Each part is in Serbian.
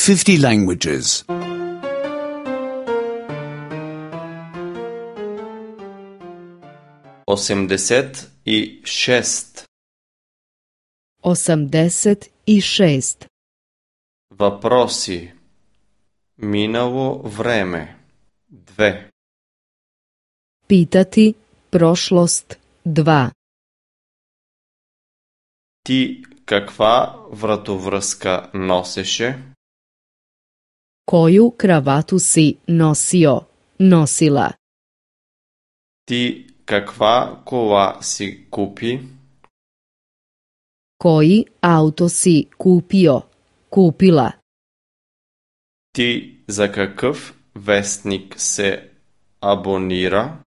50 languages. 86. 86. Въпроси. Минало време. 2. Pitati prošlost 2. Ти каква вратовръзка носеше? Koju kravatu si nosio, nosila? Ти каква кола си купи? Koji auto si kupio, kupila? Ти за какъв вестник се абонира?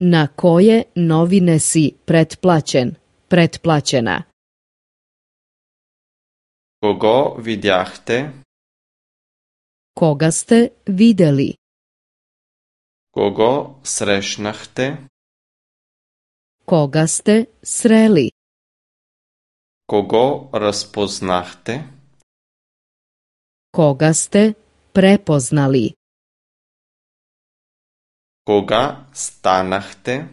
Na koje novine si pretplaćen, pretplaćena? Кого видяхте? Koga ste videli? Кого срещнахте? Koga ste sreli? Кого разпознахте? Koga ste prepoznali? Кога станахте?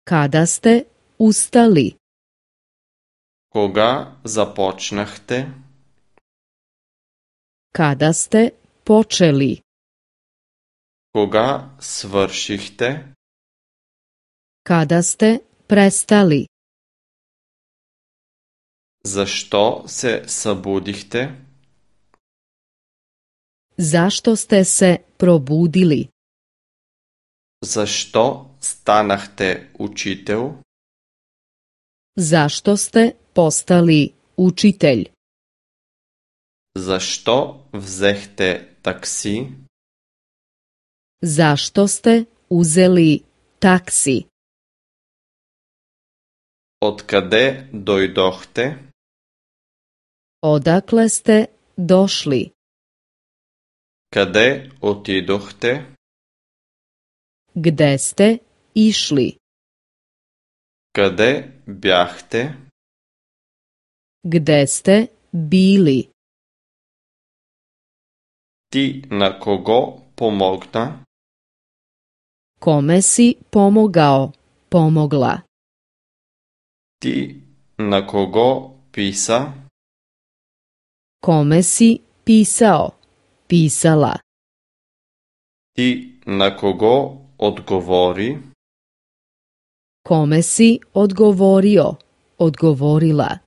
Kada ste ustali? Кога започнахте? Kada ste počeli? Кога свършихте? Kada ste prestali? Защо се събудихте? Zašto ste se probudili? Защо станахте учител? Zašto ste postali učitelj? Защо взехте такси? Zašto ste uzeli taksi? Откъде дойдохте? Odakle ste došli? Къде отидохте? Gde ste išli? Къде бяхте? Gde ste bili? Ти на кого помогна? Kome si pomogao, pomogla? Ти на кого писа? Kome si pisao, pisala? Ти на кого отговори? Kome si odgovorio, odgovorila?